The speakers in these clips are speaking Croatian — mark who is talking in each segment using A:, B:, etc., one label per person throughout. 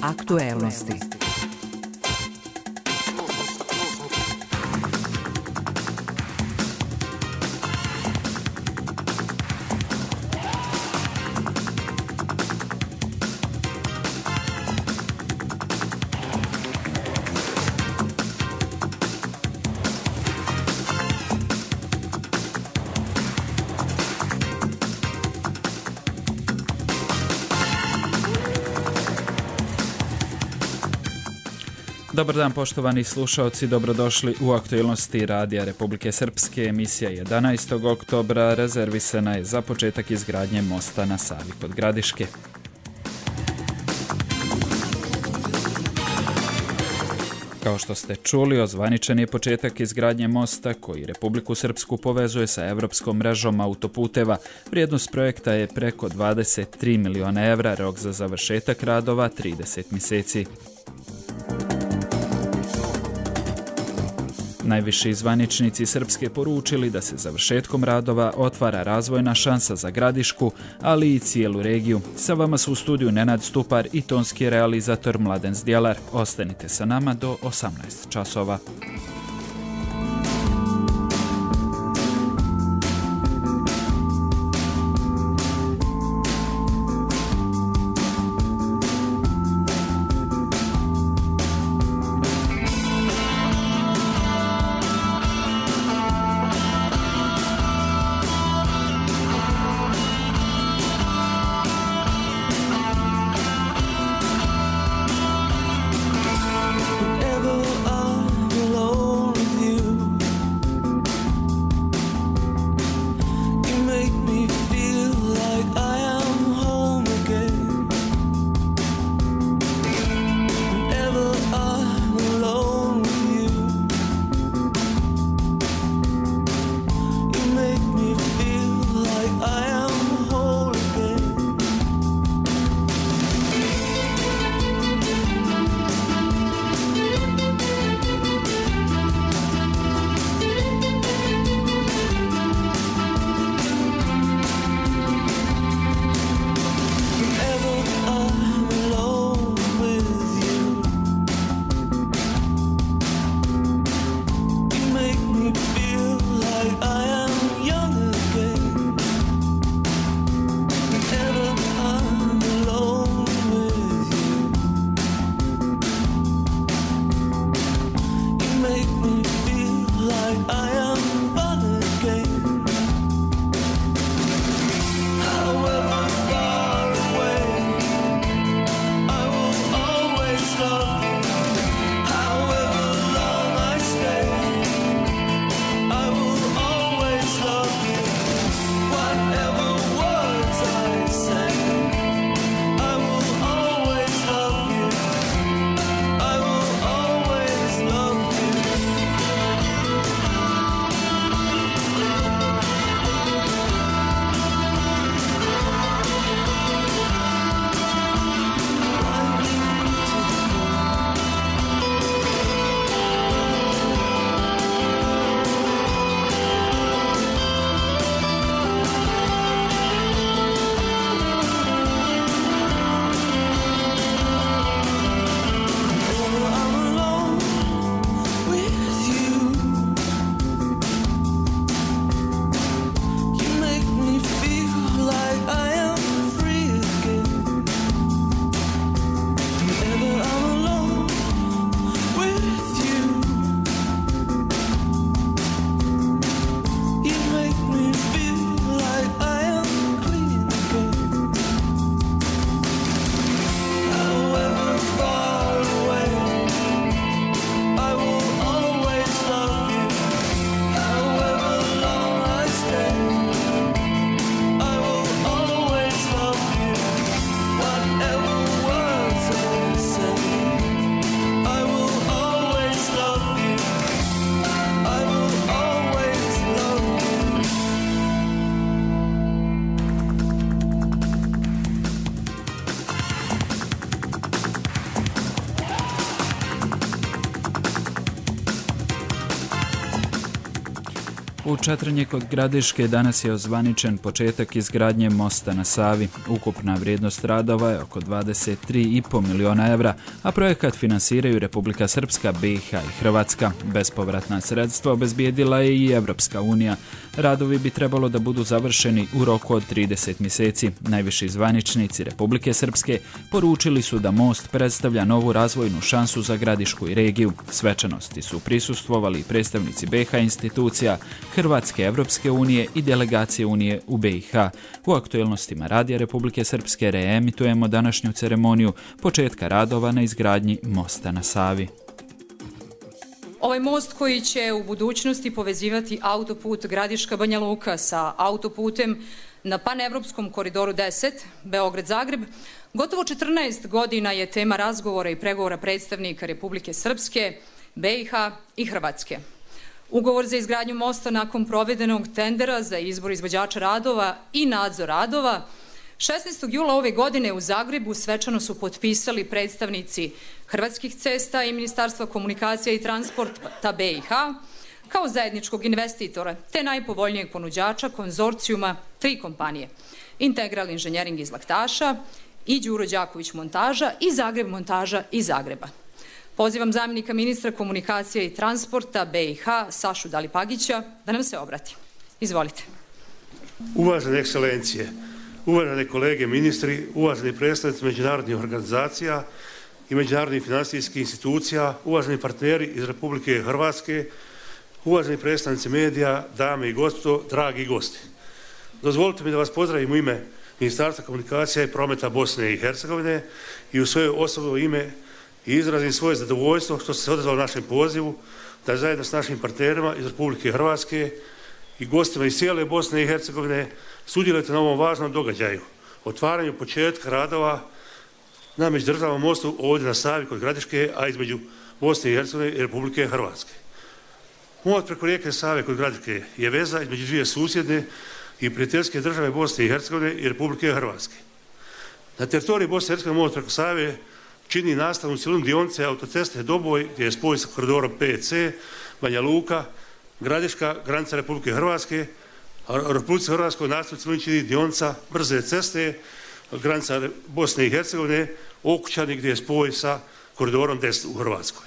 A: Aktuelnosti.
B: Dobar dan poštovani slušaoci, dobrodošli u aktualnosti Radija Republike Srpske. Emisija 11. oktobra rezervisana je za početak izgradnje mosta na Savi kod Gradiške. Kao što ste čuli, ozvaničen je početak izgradnje mosta koji Republiku Srpsku povezuje sa evropskom mrežom autoputeva. Vrijednost projekta je preko 23 miliona evra, rok za završetak radova 30 mjeseci. Najviši zvaničnici Srpske poručili da se završetkom radova otvara razvojna šansa za Gradišku, ali i cijelu regiju. Sa vama su u studiju Nenad Stupar i tonski realizator Mladen Zdjelar. Ostanite sa nama do 18 časova.
C: Below
B: U Četrinje kod Gradiške danas je ozvaničen početak izgradnje mosta na Savi. Ukupna vrijednost radova je oko 23,5 miliona evra, a projekat finansiraju Republika Srpska, BiH i Hrvatska. Bespovratna sredstva obezbijedila je i Evropska unija. Radovi bi trebalo da budu završeni u roku od 30 mjeseci. Najviši zvaničnici Republike Srpske poručili su da most predstavlja novu razvojnu šansu za Gradišku i regiju. Svečanosti su prisustvovali predstavnici BiH institucija, Hrvatske, Evropske unije i delegacije Unije u BiH. U aktuelnostima Radija Republike Srpske reemitujemo današnju ceremoniju početka radova na izgradnji mosta na Savi.
A: Ovaj most koji će u budućnosti povezivati autoput Gradiška-Banja Luka sa autoputem na panevropskom koridoru 10, Beograd-Zagreb, gotovo 14 godina je tema razgovora i pregovora predstavnika Republike Srpske, BiH i Hrvatske. Ugovor za izgradnju mosta nakon provedenog tendera za izbor izvođača radova i nadzor radova 16. jula ove godine u Zagrebu svečano su potpisali predstavnici Hrvatskih cesta i Ministarstva komunikacija i transporta BiH kao zajedničkog investitora te najpovoljnijeg ponuđača konzorcijuma 3 kompanije: Integral inženjering iz Laktaša i Đuro Đaković montaža i Zagreb montaža iz Zagreba. Pozivam zamjenika ministra komunikacije i transporta BiH Sašu Dalipagića da nam se obrati. Izvolite.
C: Uvažene ekscelencije, uvažene kolege ministri, uvaženi predstavnici međunarodnih organizacija i međunarodnih financijskih institucija, uvaženi partneri iz Republike Hrvatske, uvaženi predstavnici medija, dame i gospodo, dragi gosti. Dozvolite mi da vas pozdravim u ime Ministarstva komunikacija i prometa Bosne i Hercegovine i u svoje osobno ime i izrazim svoje zadovoljstvo što ste se odazvali našem pozivu da zajedno s našim partnerima iz Republike Hrvatske i gostima iz cijele Bosne i Hercegovine sudjelujete na ovom važnom događaju, otvaranju početka radova na međudržavnom mostu ovdje na Savi kod Gradiške, a između Bosne i Hercegovine i Republike Hrvatske. Most preko rijeke Save kod Gradiške je veza između dvije susjedne i prijateljske države Bosne i Hercegovine i Republike Hrvatske. Na teritoriji Bosne i Hercegovine most preko Save čini nastavnu cjelinu dionice autoceste Doboj gdje je spoj sa koridorom 5C, Banja Luka, Gradiška, granica Republike Hrvatske, a u Republici Hrvatskoj nastavnu cjelinu čini dionica brze ceste, granica Bosne i Hercegovine, Okučani gdje je spoj sa koridorom 10 u Hrvatskoj.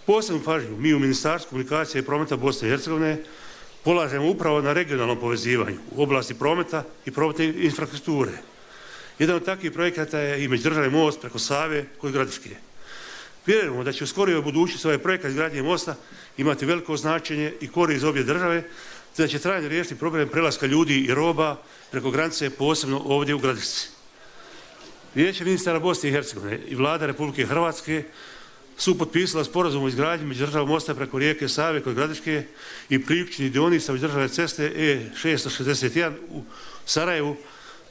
C: Posebnu pažnju mi u Ministarstvu komunikacije i prometa Bosne i Hercegovine polažemo upravo na regionalnom povezivanju u oblasti prometa i prometne infrastrukture. Jedan od takvih projekata je i međudržavni most preko Save kod Gradiške. Vjerujemo da će u skorijoj budućnosti ovaj projekat izgradnje mosta imati veliko značenje i korist za obje države, te da će trajno riješiti problem prelaska ljudi i roba preko granice, posebno ovdje u Gradišci. Vijeće ministara Bosne i Hercegovine i Vlada Republike Hrvatske su potpisala sporazum o izgradnji međudržavnog mosta preko rijeke Save kod Gradiške i priključnih dionica međudržavne ceste E661 u Sarajevu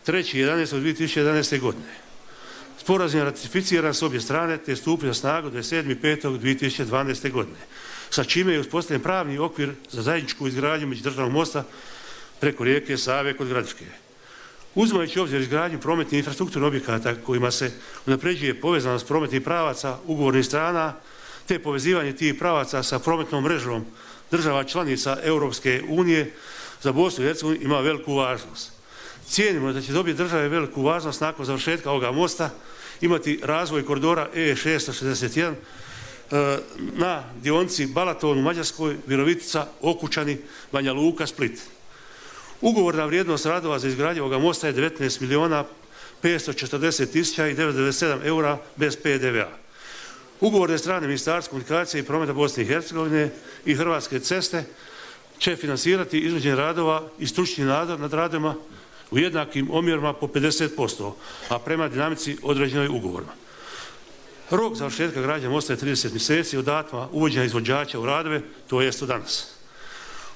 C: 3.11.2011. godine. Sporazum je ratificiran s obje strane te je stupio na snagu 27.5.2012. godine, sa čime je uspostavljen pravni okvir za zajedničku izgradnju međudržavnog mosta preko rijeke Save kod Gradiške. Uzimajući obzir izgradnju prometnih infrastrukturnih objekata kojima se unapređuje povezanost prometnih pravaca ugovornih strana te povezivanje tih pravaca sa prometnom mrežom država članica Europske unije za Bosnu i Hercegovinu ima veliku važnost. Cijenimo da će dobiti države veliku važnost nakon završetka ovoga mosta imati razvoj koridora E661 na dionici Balaton u Mađarskoj, Virovitica, Okučani, Banja Luka, Split. Ugovorna vrijednost radova za izgradnju ovoga mosta je 19.540.997 eura bez PDV-a. Ugovorne strane Ministarstva komunikacije i prometa Bosne i Hercegovine i Hrvatske ceste će finansirati izvođenje radova i stručni nadzor nad radovima u jednakim omjerima po 50%, a prema dinamici određenoj ugovorima. Rok završetka gradnje mosta je 30 mjeseci od datuma uvođenja izvođača u radove, to jest od danas.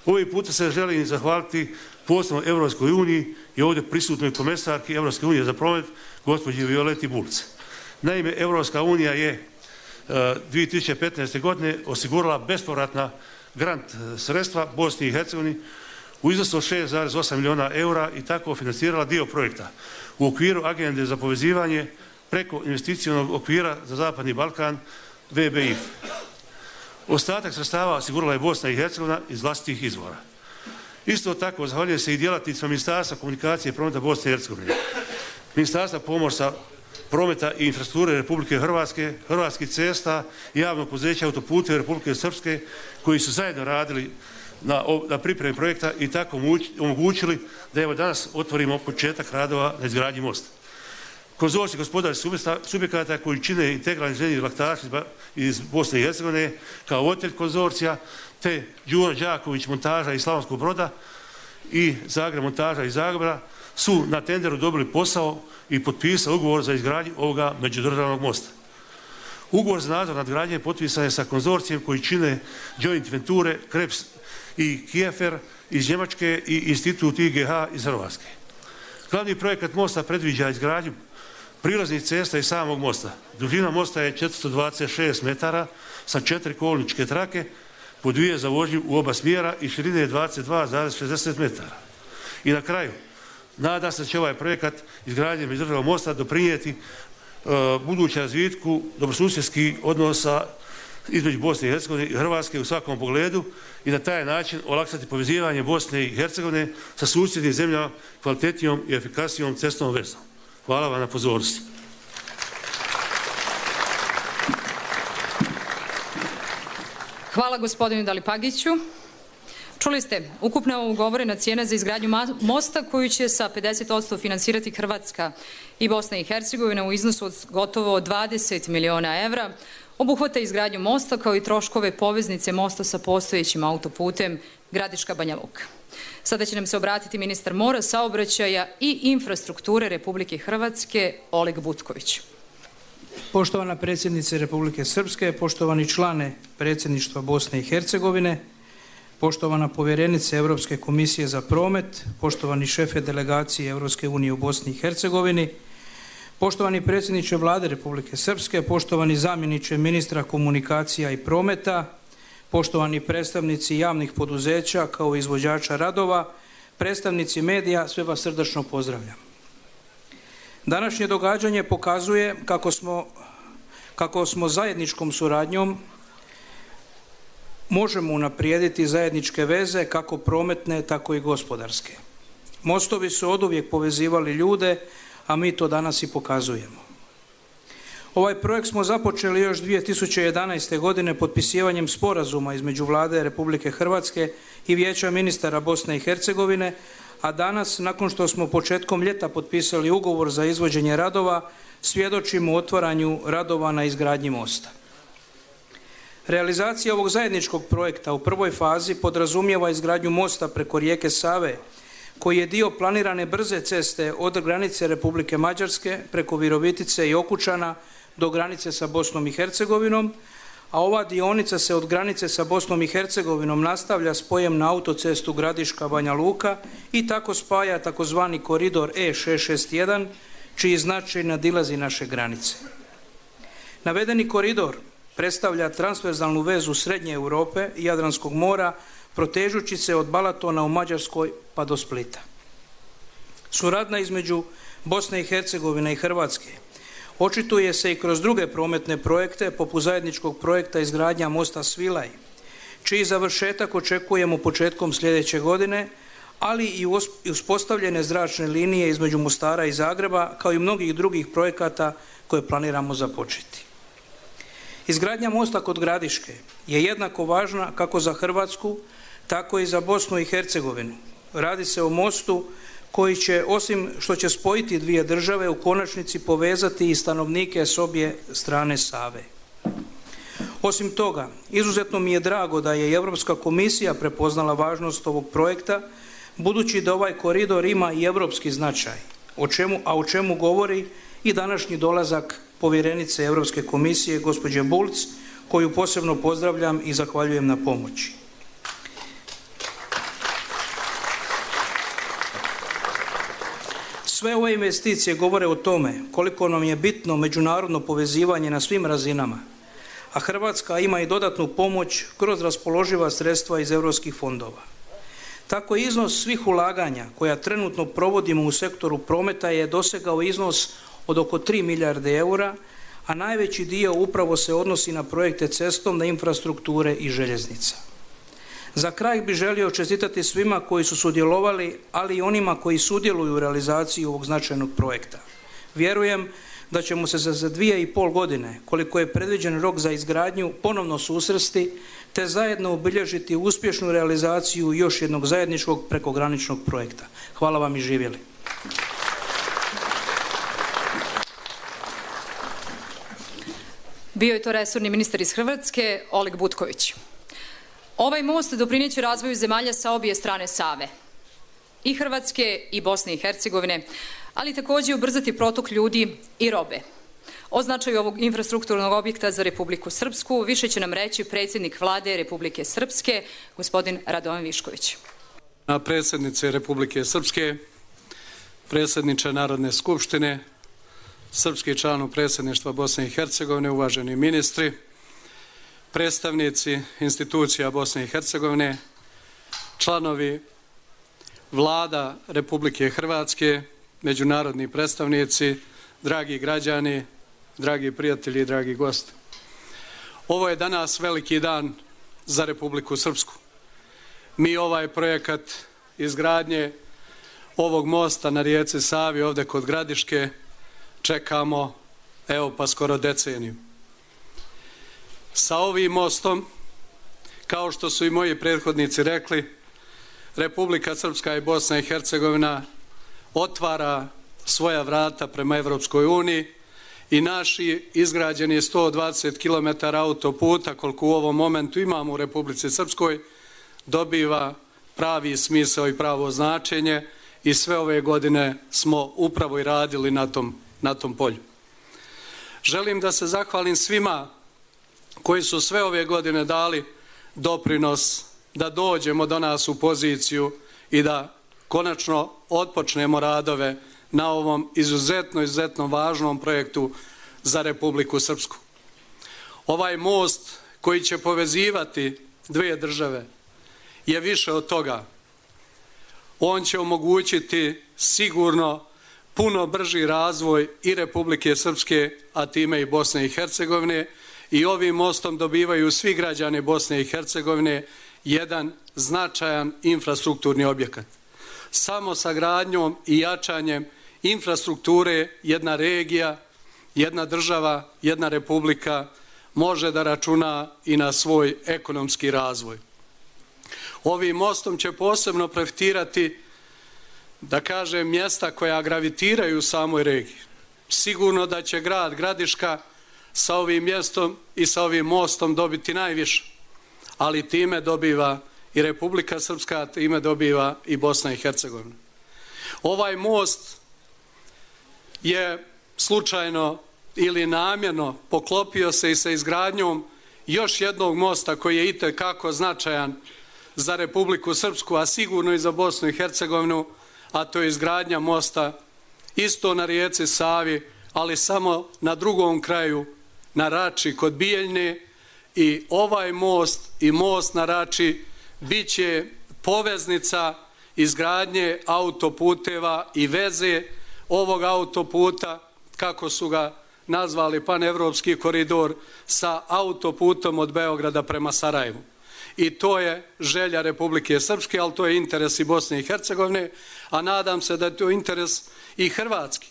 C: Ovim puta se želim zahvaliti posebno Europskoj uniji i ovdje prisutnoj komesarki Europske unije za promet, gospođi Violeti Bulc. Naime, Europska unija je 2015. godine osigurala bespovratna grant sredstva Bosni i Hercegovini u iznosu od 6,8 milijuna eura i tako financirala dio projekta u okviru agende za povezivanje preko investicionog okvira za Zapadni Balkan VBIF. Ostatak sredstava osigurala je Bosna i Hercegovina iz vlastitih izvora. Isto tako zahvaljujem se i djelatnicima Ministarstva komunikacije i prometa Bosne i Hercegovine, Ministarstva pomorstva, prometa i infrastrukture Republike Hrvatske, Hrvatskih cesta i javnog poduzeća Autoputeva Republike Srpske koji su zajedno radili na pripremi projekta i tako omogućili da evo danas otvorimo početak radova na izgradnji mosta. Konzorcij gospodarskih subjekata koji čine integralni inženjeri laktaši iz Bosne i Hercegovine kao voditelj konzorcija, te Đuro Đaković montaža iz Slavonskog Broda i Zagreb montaža iz Zagreba su na tenderu dobili posao i potpisali ugovor za izgradnju ovoga međudržavnog mosta. Ugovor za nadzor nad gradnjom potpisan je sa konzorcijem koji čine Joint Venture, Krebs i Kiefer iz Njemačke i Institut IGH iz Hrvatske. Glavni projekat mosta predviđa izgradnju prilaznih cesta i samog mosta. Dužina mosta je 426 metara sa 4 kolničke trake po 2 za vožnju u oba smjera i širine je 22,60 metara. I na kraju, nadam se da će ovaj projekat izgradnje međudržavnog mosta doprinijeti budućem razvitku dobrosusjedskih odnosa između Bosne i Hercegovine i Hrvatske u svakom pogledu i na taj način olakšati povezivanje Bosne i Hercegovine sa susjednim zemljama kvalitetnijom i efikasnijom cestovnom vezom. Hvala vam na pozornosti.
A: Hvala gospodinu Dalipagiću. Čuli ste, ukupna ugovorena cijena za izgradnju mosta koju će sa 50% finansirati Hrvatska i Bosna i Hercegovina u iznosu od gotovo 20 miliona evra, obuhvata izgradnju mosta kao i troškove poveznice mosta sa postojećim autoputem Gradiška Banja Luka. Sada će nam se obratiti ministar mora, saobraćaja i infrastrukture Republike Hrvatske, Oleg Butković.
D: Poštovana predsjednice Republike Srpske, poštovani člane predsjedništva Bosne i Hercegovine, poštovana povjerenice Europske komisije za promet, poštovani šefe delegacije Europske unije u Bosni i Hercegovini, poštovani predsjedniče Vlade Republike Srpske, poštovani zamjeniče ministra komunikacija i prometa, poštovani predstavnici javnih poduzeća kao izvođača radova, predstavnici medija, sve vas srdačno pozdravljam. Današnje događanje pokazuje kako smo zajedničkom suradnjom možemo unaprijediti zajedničke veze kako prometne, tako i gospodarske. Mostovi su oduvijek povezivali ljude, a mi to danas i pokazujemo. Ovaj projekt smo započeli još 2011. godine potpisivanjem sporazuma između Vlade Republike Hrvatske i Vijeća ministara Bosne i Hercegovine, a danas, nakon što smo početkom ljeta potpisali ugovor za izvođenje radova, svjedočimo otvaranju radova na izgradnji mosta. Realizacija ovog zajedničkog projekta u prvoj fazi podrazumijeva izgradnju mosta preko rijeke Save, koji je dio planirane brze ceste od granice Republike Mađarske preko Virovitice i Okučana do granice sa Bosnom i Hercegovinom, a ova dionica se od granice sa Bosnom i Hercegovinom nastavlja spojem na autocestu Gradiška Banja Luka i tako spaja takozvani koridor E661, čiji značaj nadilazi naše granice. Navedeni koridor predstavlja transverzalnu vezu Srednje Europe i Jadranskog mora, protežući se od Balatona u Mađarskoj pa do Splita. Suradnja između Bosne i Hercegovine i Hrvatske očituje se i kroz druge prometne projekte, poput zajedničkog projekta izgradnja mosta Svilaj, čiji završetak očekujemo početkom sljedeće godine, ali i uspostavljene zračne linije između Mostara i Zagreba, kao i mnogih drugih projekata koje planiramo započeti. Izgradnja mosta kod Gradiške je jednako važna kako za Hrvatsku, tako i za Bosnu i Hercegovinu. Radi se o mostu koji će, osim što će spojiti dvije države, u konačnici povezati i stanovnike s obje strane Save. Osim toga, izuzetno mi je drago da je i Europska komisija prepoznala važnost ovog projekta, budući da ovaj koridor ima i europski značaj, o čemu govori i današnji dolazak povjerenice Europske komisije, gospođe Bulc, koju posebno pozdravljam i zahvaljujem na pomoći. Sve ove investicije govore o tome koliko nam je bitno međunarodno povezivanje na svim razinama, a Hrvatska ima i dodatnu pomoć kroz raspoloživa sredstva iz europskih fondova. Tako iznos svih ulaganja koja trenutno provodimo u sektoru prometa je dosegao iznos od oko 3 milijarde eura, a najveći dio upravo se odnosi na projekte cestovne infrastrukture i željeznica. Za kraj bih želio čestitati svima koji su sudjelovali, ali i onima koji sudjeluju u realizaciji ovog značajnog projekta. Vjerujem da ćemo se za 2,5 godine, koliko je predviđen rok za izgradnju, ponovno susresti te zajedno obilježiti uspješnu realizaciju još jednog zajedničkog prekograničnog projekta. Hvala vam i živjeli.
A: Bio je to resorni ministar iz Hrvatske, Oleg Butković. Ovaj most doprineće razvoju zemalja sa obje strane Save, i Hrvatske i Bosne i Hercegovine, ali također ubrzati protok ljudi i robe. O značaju ovog infrastrukturnog objekta za Republiku Srpsku više će nam reći predsjednik Vlade Republike Srpske, gospodin Radovan Višković.
E: Predsjednice Republike Srpske, predsjedniče Narodne skupštine, srpski članu predsjedništva Bosne i Hercegovine, uvaženi ministri, predstavnici institucija Bosne i Hercegovine, članovi Vlada Republike Hrvatske, međunarodni predstavnici, dragi građani, dragi prijatelji i dragi gosti. Ovo je danas veliki dan za Republiku Srpsku. Mi ovaj projekat izgradnje ovog mosta na rijeci Savi ovdje kod Gradiške čekamo evo pa skoro deceniju. Sa ovim mostom, kao što su i moji prethodnici rekli, Republika Srpska i Bosna i Hercegovina otvara svoja vrata prema Evropskoj uniji i naši izgrađeni 120 km autoputa, koliko u ovom momentu imamo u Republici Srpskoj, dobiva pravi smisao i pravo značenje i sve ove godine smo upravo i radili na tom polju. Želim da se zahvalim svima koji su sve ove godine dali doprinos da dođemo do nas u poziciju i da konačno otpočnemo radove na ovom izuzetno važnom projektu za Republiku Srpsku. Ovaj most koji će povezivati dvije države je više od toga. On će omogućiti sigurno puno brži razvoj i Republike Srpske, a time i Bosne i Hercegovine, i ovim mostom dobivaju svi građani Bosne i Hercegovine jedan značajan infrastrukturni objekat. Samo sa gradnjom i jačanjem infrastrukture jedna regija, jedna država, jedna republika može da računa i na svoj ekonomski razvoj. Ovim mostom će posebno profitirati, da kažem, mjesta koja gravitiraju u samoj regiji. Sigurno da će grad Gradiška sa ovim mjestom i sa ovim mostom dobiti najviše, ali time dobiva i Republika Srpska, time dobiva i Bosna i Hercegovina. Ovaj most je slučajno ili namjerno poklopio se i sa izgradnjom još jednog mosta koji je itekako značajan za Republiku Srpsku, a sigurno i za Bosnu i Hercegovinu, a to je izgradnja mosta isto na rijeci Savi, ali samo na drugom kraju, na Rači kod Bijeljne, i ovaj most i most na Rači bit će poveznica izgradnje autoputeva i veze ovog autoputa, kako su ga nazvali, panevropski koridor, sa autoputom od Beograda prema Sarajevu. I to je želja Republike Srpske, ali to je interes i Bosne i Hercegovine, a nadam se da je to interes i Hrvatski,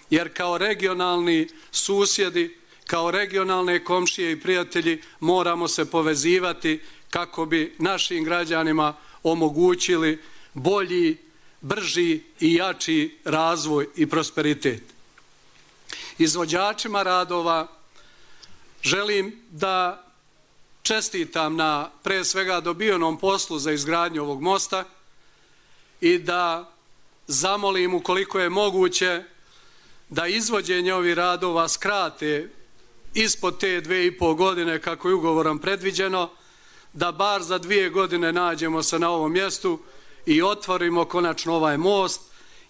E: jer kao regionalni susjedi, kao regionalne komšije i prijatelji moramo se povezivati kako bi našim građanima omogućili bolji, brži i jači razvoj i prosperitet. Izvođačima radova želim da čestitam na pre svega dobijenom poslu za izgradnju ovog mosta i da zamolim, ukoliko je moguće, da izvođenje ovih radova skrate ispod te 2,5 godine kako je ugovorom predviđeno, da bar za 2 godine nađemo se na ovom mjestu i otvorimo konačno ovaj most,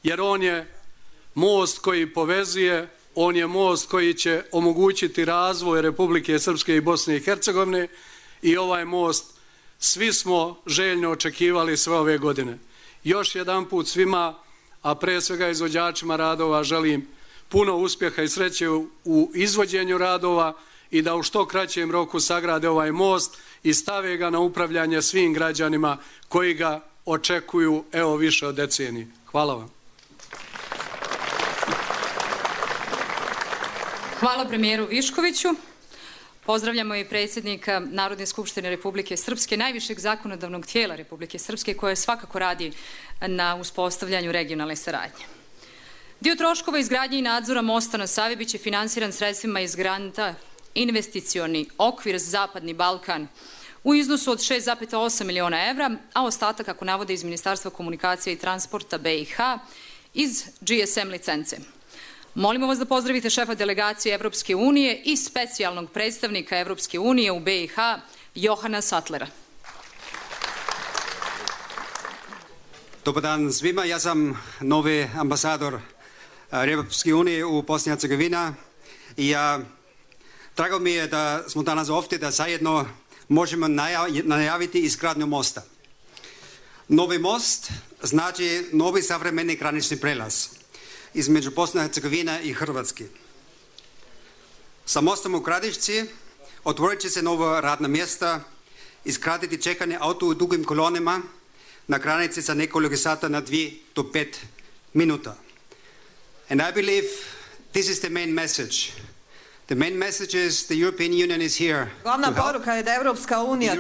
E: jer on je most koji povezuje, on je most koji će omogućiti razvoj Republike Srpske i Bosne i Hercegovine, i ovaj most svi smo željno očekivali sve ove godine. Još jedan put svima, a pre svega izvođačima radova, želim puno uspjeha i sreće u izvođenju radova i da u što kraćem roku sagrade ovaj most i stave ga na upravljanje svim građanima koji ga očekuju evo više od decenije. Hvala vam.
A: Hvala premijeru Viškoviću. Pozdravljamo i predsjednika Narodne skupštine Republike Srpske, najvišeg zakonodavnog tijela Republike Srpske, koje svakako radi na uspostavljanju regionalne saradnje. Dio troškova izgradnje i nadzora mosta na Savi biće finansiran sredstvima iz granta Investicioni okvir Zapadni Balkan u iznosu od 6,8 miliona evra, a ostatak, kako navode iz Ministarstva komunikacije i transporta BiH, iz GSM licence. Molimo vas da pozdravite šefa delegacije Evropske unije i specijalnog predstavnika Evropske unije u BiH, Johana Sattlera.
F: Dobar dan svima, ja sam novi ambasador Evropske unije u Bosni i Hercegovini i drago mi je da smo danas ovdje da zajedno možemo najaviti izgradnju mosta. Novi most znači novi savremeni granični prelaz između Bosne i Hercegovine i Hrvatske. Sa mostom u Gradišci otvorit će se nova radna mjesta, izgraditi čekanje auto u dugim kolonama na granici sa nekoliko sata na 2 do 5 minuta. And I believe this is the main message. The main message is the European Union is here.
G: Glavna poruka je da je Evropska unija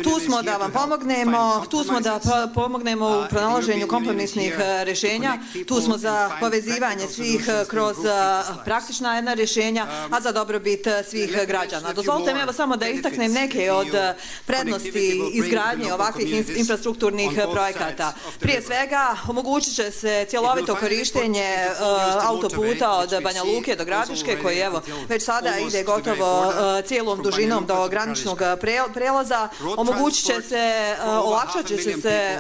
G: tu smo da vam pomognemo, tu smo da pomognemo u pronalaženju kompromisnih rješenja, tu smo za povezivanje svih kroz praktična jedna rješenja, a za dobrobit svih građana. Dozvolite mi evo samo da istaknem neke od prednosti izgradnje ovakvih infrastrukturnih projekata. Prije svega, omogućit će se cjelovito korištenje autoputa od Banja Luke do Gradiške, koji evo već sada ide gotovo cijelom dužinom do graničnog prelaza. Omogućit će se, olakšat će se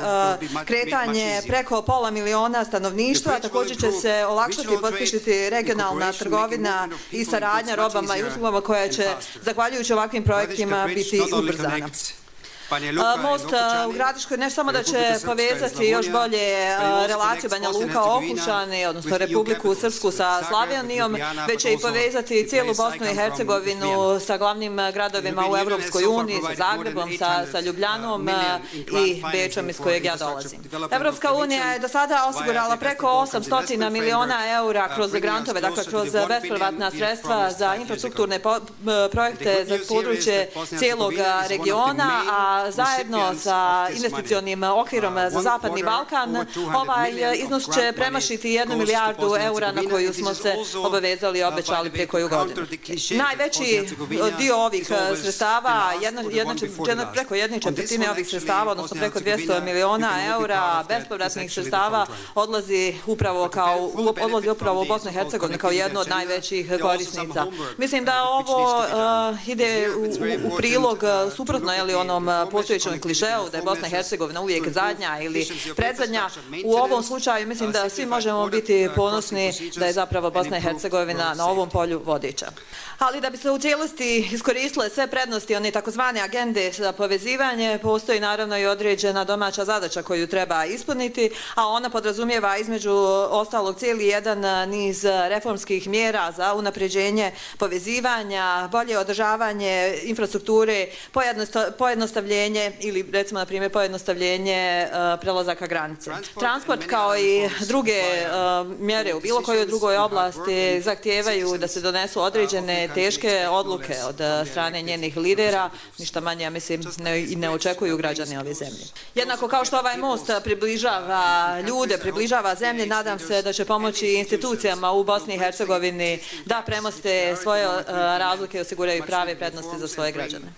G: kretanje preko pola miliona stanovništva, također će se olakšati i pospješiti regionalna trgovina i saradnja robama i uslugama koja će, zahvaljujući ovakvim projektima, biti ubrzana. Most u Gradiškoj ne samo da će povezati još bolje relaciju Banja Luka-Okučani, odnosno Republiku Srpsku sa Slavonijom, već će i povezati cijelu Bosnu i Hercegovinu sa glavnim gradovima u Evropskoj uniji, sa Zagrebom, sa Ljubljanom i Bečom iz kojeg ja dolazim. Evropska unija je do sada osigurala preko 800 miliona eura kroz grantove, dakle kroz bespovratna sredstva za infrastrukturne projekte za područje cijelog regiona, a zajedno sa investicionim okvirom za Zapadni Balkan ovaj iznos će premašiti 1 milijardu eura na koju smo se obavezali i obećali prije koju godinu. Najveći dio ovih sredstava, preko 1/4 ovih sredstava, odnosno preko 200 miliona eura bespovratnih sredstava odlazi upravo u Bosnu i Hercegovinu kao jednu od najvećih korisnica. Mislim da ovo ide u prilog suprotno onom postojećom klišeu da je Bosna i Hercegovina uvijek zadnja ili predzadnja. U ovom slučaju mislim da svi možemo biti ponosni da je zapravo Bosna i Hercegovina na ovom polju vodiča. Ali da bi se u cijelosti iskoristile sve prednosti one takozvane agende za povezivanje, postoji naravno i određena domaća zadaća koju treba ispuniti, a ona podrazumijeva između ostalog cijeli jedan niz reformskih mjera za unapređenje povezivanja, bolje održavanje infrastrukture, pojednostavljenje ili recimo na primjer pojednostavljenje prelazaka granice. Transport kao i druge mjere u bilo kojoj drugoj oblasti zahtijevaju da se donesu određene teške odluke od strane njenih lidera, ništa manje, ja mislim, i ne očekuju građani ove zemlje. Jednako kao što ovaj most približava ljude, približava zemlje, nadam se da će pomoći institucijama u Bosni i Hercegovini da premoste svoje razlike i osiguraju prave prednosti za svoje građane.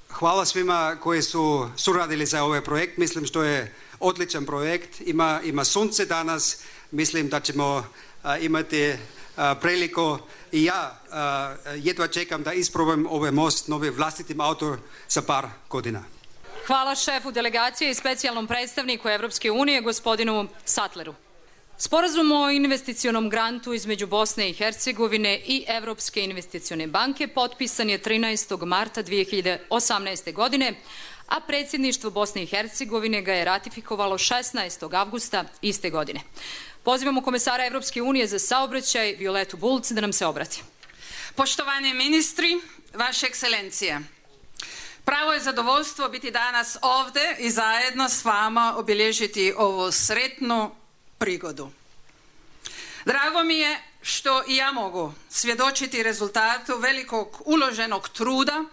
F: Hvala svima koji su suradili za ovaj projekt, mislim što je odličan projekt, ima sunce danas, mislim da ćemo imati priliku i ja jedva čekam da isprobam ovaj most novi vlastitim autom za par godina.
A: Hvala šefu delegacije i specijalnom predstavniku Evropske unije, gospodinu Sattleru. Sporazum o investicionom grantu između Bosne i Hercegovine i Evropske investicione banke potpisan je 13. marta 2018. godine, a predsjedništvo Bosne i Hercegovine ga je ratifikovalo 16. avgusta iste godine. Pozivamo komesara Evropske unije za saobraćaj Violetu Bulc da nam se obrati.
H: Poštovani ministri, vaše ekscelencije, pravo je zadovoljstvo biti danas ovdje i zajedno s vama obilježiti ovu sretnu prigodu. Drago mi je što i ja mogu svjedočiti rezultatu velikog uloženog truda,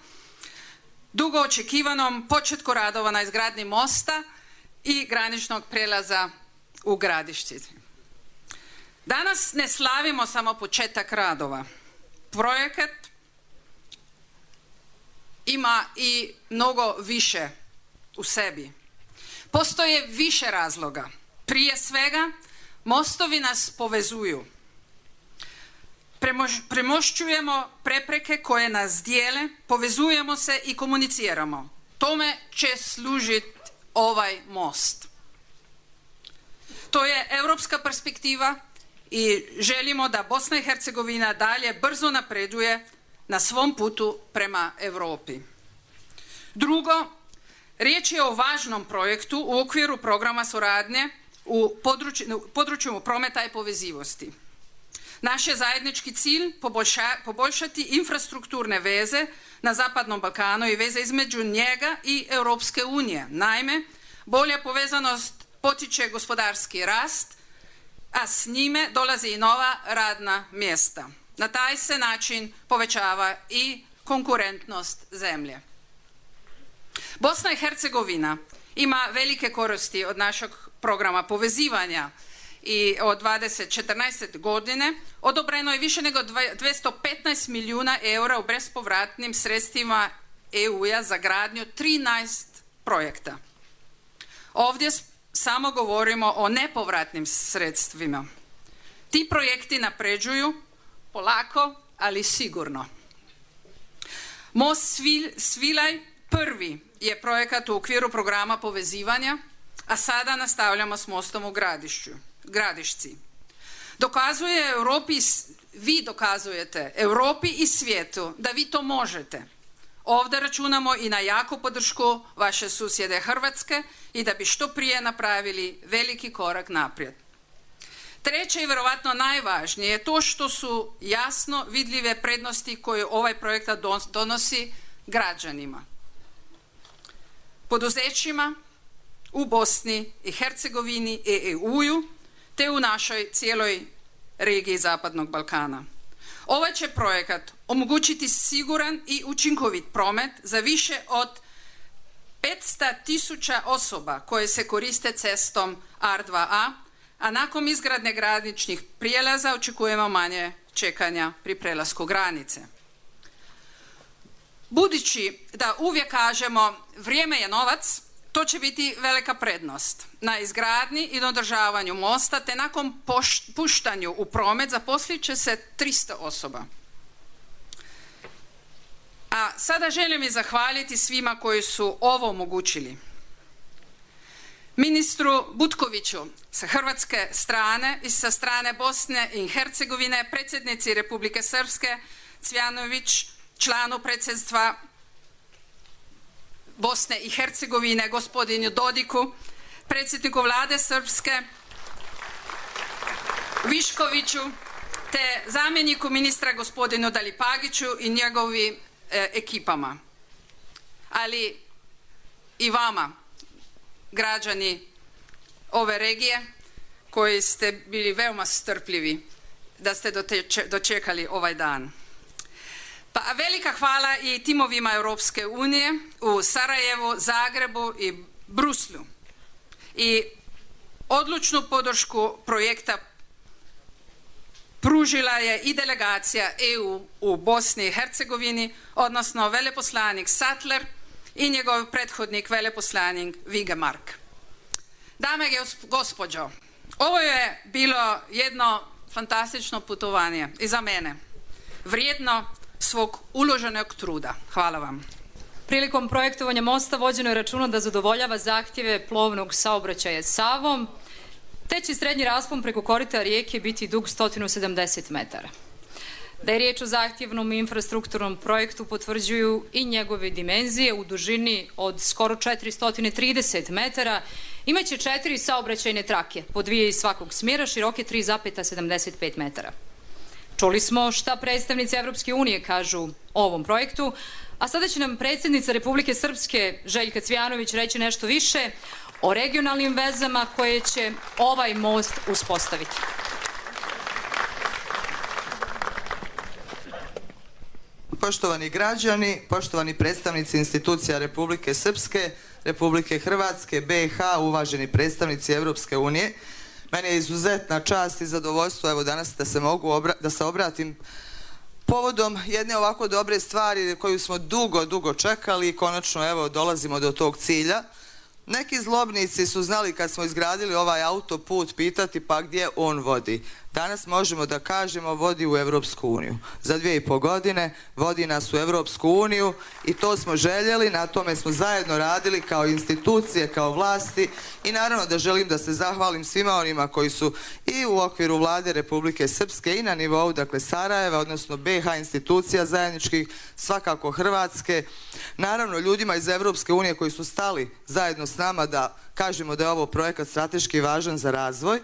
H: dugo očekivanom početku radova na izgradnji mosta i graničnog prijelaza u Gradišci. Danas ne slavimo samo početak radova. Projekat ima i mnogo više u sebi. Postoje više razloga. Prije svega, mostovi nas povezuju. Premošćujemo prepreke koje nas dijele, povezujemo se i komuniciramo. Tome će služiti ovaj most. To je europska perspektiva i želimo da Bosna i Hercegovina dalje brzo napreduje na svom putu prema Europi. Drugo, riječ je o važnom projektu u okviru programa suradnje u području prometa i povezivosti. Naš je zajednički cilj poboljšati infrastrukturne veze na Zapadnom Balkanu i veze između njega i Europske unije. Naime, bolja povezanost potiče gospodarski rast, a s njime dolazi i nova radna mjesta. Na taj se način povećava i konkurentnost zemlje. Bosna i Hercegovina ima velike koristi od našeg programa povezivanja i od 2014. godine odobreno je više nego 215 milijuna eura u bespovratnim sredstvima EU-a za gradnju 13 projekta. Ovdje samo govorimo o nepovratnim sredstvima. Ti projekti napređuju polako, ali sigurno. Most Svilaj prvi je projekat u okviru programa povezivanja, a sada nastavljamo s mostom u Gradišci. Vi dokazujete Europi i svijetu da vi to možete. Ovdje računamo i na jaku podršku vaše susjede Hrvatske i da bi što prije napravili veliki korak naprijed. Treće i vjerovatno najvažnije je to što su jasno vidljive prednosti koje ovaj projekt donosi građanima, poduzećima u Bosni i Hercegovini i EU-u te u našoj cijeloj regiji Zapadnog Balkana. Ovaj će projekat omogućiti siguran i učinkovit promet za više od 500.000 osoba koje se koriste cestom R2A, a nakon izgradnje graničnih prijelaza očekujemo manje čekanja pri prelasku granice. Budući da uvijek kažemo vrijeme je novac, to će biti velika prednost. Na izgradnji i održavanju mosta te nakon puštanju u promet zaposlit će se 300 osoba. A sada želim i zahvaliti svima koji su ovo omogućili. Ministru Butkoviću sa hrvatske strane i sa strane Bosne i Hercegovine, predsjednici Republike Srpske Cvjanović, članu predsjedstva Bosne i Hercegovine gospodinu Dodiku, predsjedniku vlade Srpske Viškoviću te zamjeniku ministra gospodinu Dalipagiću i njegovim ekipama. Ali i vama, građani ove regije, koji ste bili veoma strpljivi da ste dočekali ovaj dan. Pa velika hvala i timovima Europske unije u Sarajevu, Zagrebu i Bruslju. I odlučnu podršku projekta pružila je i delegacija EU u Bosni i Hercegovini, odnosno veleposlanik Sattler i njegov prethodnik veleposlanik Vigemark. Dame i gospođo, ovo je bilo jedno fantastično putovanje i za mene, vrijedno svog uloženog truda. Hvala vam.
A: Prilikom projektovanja mosta vođeno je računa da zadovoljava zahtjeve plovnog saobraćaja Savom, te će srednji raspon preko korita rijeke biti dug 170 metara. Da je riječ o zahtjevnom infrastrukturnom projektu potvrđuju i njegove dimenzije u dužini od skoro 430 metara. Imaće 4 saobraćajne trake, po 2 iz svakog smjera, široke 3,75 metara. Čuli smo šta predstavnici Evropske unije kažu o ovom projektu, a sada će nam predsjednica Republike Srpske Željka Cvijanović reći nešto više o regionalnim vezama koje će ovaj most uspostaviti.
I: Poštovani građani, poštovani predstavnici institucija Republike Srpske, Republike Hrvatske, BiH, uvaženi predstavnici Evropske unije, meni je izuzetna čast i zadovoljstvo evo danas da se obratim povodom jedne ovako dobre stvari koju smo dugo čekali i konačno evo dolazimo do tog cilja. Neki zlobnici su znali kad smo izgradili ovaj autoput pitati pa gdje on vodi. Danas možemo da kažemo vodi u Evropsku uniju. Za 2,5 godine vodi nas u Evropsku uniju i to smo željeli, na tome smo zajedno radili kao institucije, kao vlasti i naravno da želim da se zahvalim svima onima koji su i u okviru Vlade Republike Srpske i na nivou dakle Sarajeva, odnosno BiH institucija zajedničkih, svakako Hrvatske, naravno ljudima iz Evropske unije koji su stali zajedno s nama da kažemo da je ovo projekat strateški važan za razvoj.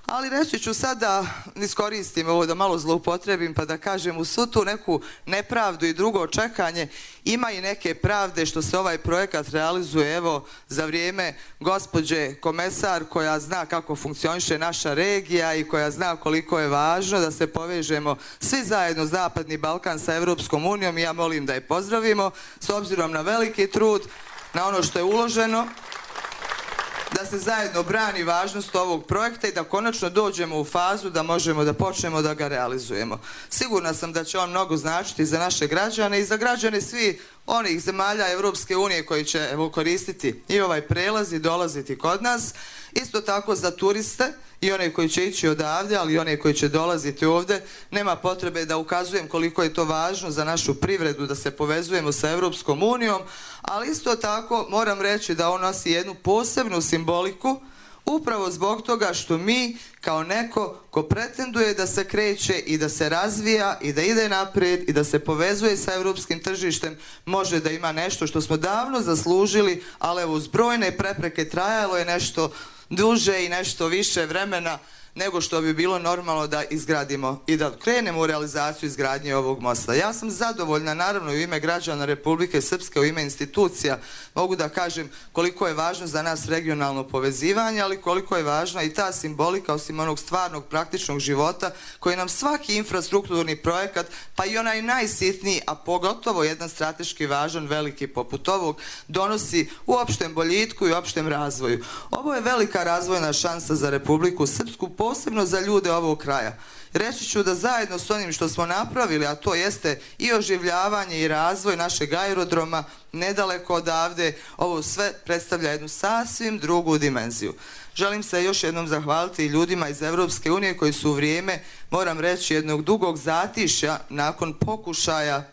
I: Ali reći ću sad da iskoristim ovo da malo zloupotrebim pa da kažem u svu tu neku nepravdu i drugo čekanje ima i neke pravde što se ovaj projekat realizuje evo za vrijeme gospođe komesar koja zna kako funkcioniše naša regija i koja zna koliko je važno da se povežemo svi zajedno Zapadni Balkan sa Evropskom unijom i ja molim da je pozdravimo s obzirom na veliki trud, na ono što je uloženo, da se zajedno brani važnost ovog projekta i da konačno dođemo u fazu da možemo da počnemo da ga realizujemo. Sigurna sam da će on mnogo značiti za naše građane i za građane svih onih zemalja Evropske unije koji će evo koristiti i ovaj prelaz i dolaziti kod nas. Isto tako za turiste i one koji će ići odavde, ali i one koji će dolaziti ovdje. Nema potrebe da ukazujem koliko je to važno za našu privredu da se povezujemo sa Evropskom unijom, ali isto tako moram reći da on nosi jednu posebnu simboliku upravo zbog toga što mi kao neko ko pretenduje da se kreće i da se razvija i da ide naprijed i da se povezuje sa europskim tržištem može da ima nešto što smo davno zaslužili, ali evo uz brojne prepreke trajalo je nešto duže i nešto više vremena nego što bi bilo normalno da izgradimo i da krenemo u realizaciju izgradnje ovog mosta. Ja sam zadovoljna, naravno u ime građana Republike Srpske, u ime institucija, mogu da kažem koliko je važno za nas regionalno povezivanje, ali koliko je važna i ta simbolika osim onog stvarnog praktičnog života koji nam svaki infrastrukturni projekat, pa i onaj najsitniji, a pogotovo jedan strateški važan, veliki poput ovog, donosi u opštem boljitku i opštem razvoju. Ovo je velika razvojna šansa za Republiku Srpsku, posebno za ljude ovog kraja. Reći ću da zajedno s onim što smo napravili, a to jeste i oživljavanje i razvoj našeg aerodroma, nedaleko odavde, ovo sve predstavlja jednu sasvim drugu dimenziju. Želim se još jednom zahvaliti i ljudima iz Evropske unije koji su u vrijeme, moram reći, jednog dugog zatišja nakon pokušaja,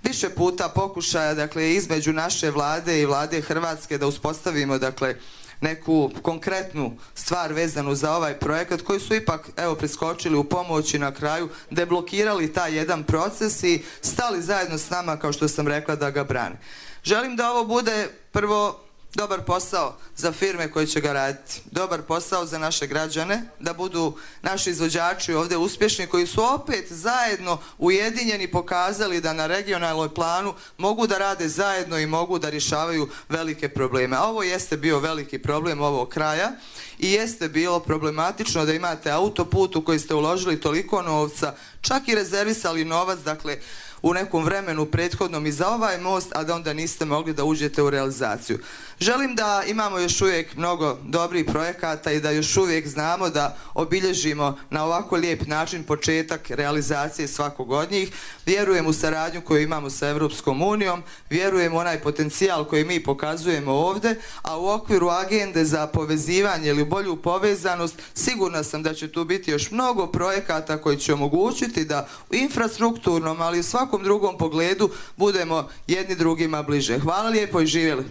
I: više puta pokušaja, dakle, između naše vlade i vlade Hrvatske da uspostavimo, dakle, neku konkretnu stvar vezanu za ovaj projekat koji su ipak evo priskočili u pomoć i na kraju deblokirali taj jedan proces i stali zajedno s nama kao što sam rekla da ga brane. Želim da ovo bude prvo dobar posao za firme koje će ga raditi, dobar posao za naše građane, da budu naši izvođači ovdje uspješni koji su opet zajedno ujedinjeni pokazali da na regionalnoj planu mogu da rade zajedno i mogu da rješavaju velike probleme. A ovo jeste bio veliki problem ovog kraja i jeste bilo problematično da imate autoput u koji ste uložili toliko novca, čak i rezervisali novac, dakle, u nekom vremenu prethodnom i za ovaj most, a da onda niste mogli da uđete u realizaciju. Želim da imamo još uvijek mnogo dobrih projekata i da još uvijek znamo da obilježimo na ovako lijep način početak realizacije svakog od njih. Vjerujem u saradnju koju imamo sa Evropskom unijom, vjerujem u onaj potencijal koji mi pokazujemo ovdje, a u okviru agende za povezivanje ili bolju povezanost sigurna sam da će tu biti još mnogo projekata koji će omogućiti da u infrastrukturnom, ali i svakom drugom pogledu budemo jedni drugima bliže. Hvala lijepo i živjeli.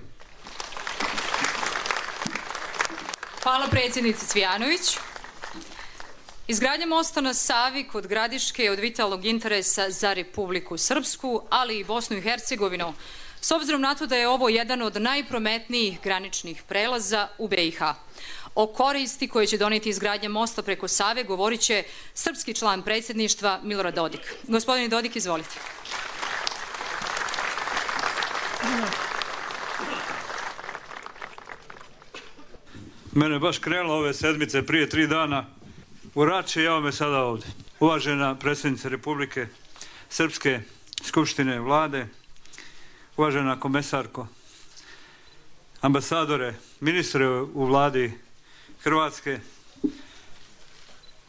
A: Hvala predsjednici Cvijanović. Izgradnja mosta na Savi kod Gradiške je od vitalnog interesa za Republiku Srpsku, ali i Bosnu i Hercegovinu, s obzirom na to da je ovo jedan od najprometnijih graničnih prelaza u BiH. O koristi koje će doneti izgradnja mosta preko Save govorit će srpski član predsjedništva Milorad Dodik. Gospodine Dodik, izvolite.
J: Mene baš krenulo ove sedmice prije 3 dana u Rači, evo me sada ovdje. Uvažena predsjednica Republike Srpske skupštine vlade, uvažena komesarko, ambasadore, ministre u vladi Hrvatske,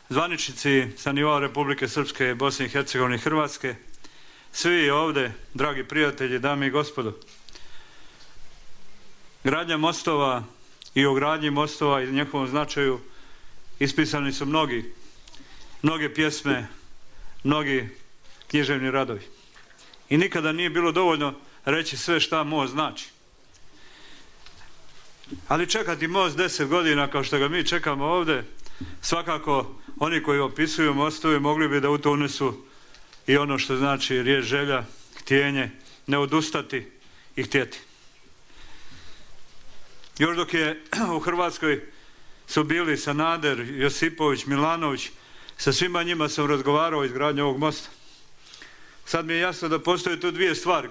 J: zvaničnici sa nivoa Republike Srpske, Bosne i Hercegovine i Hrvatske, svi ovdje, dragi prijatelji, dame i gospodo. Gradnja mostova i o gradnji mostova i njihovom značaju ispisani su mnoge pjesme, mnogi književni radovi. I nikada nije bilo dovoljno reći sve šta most znači. Ali čekati most 10 godina kao što ga mi čekamo ovdje, svakako oni koji opisuju mostove mogli bi da u to unesu i ono što znači riječ želja, htjenje, ne odustati i htjeti. Još dok je u Hrvatskoj su bili Sanader, Josipović, Milanović, sa svima njima sam razgovarao o izgradnji ovog mosta. Sad mi je jasno da postoje tu dvije stvari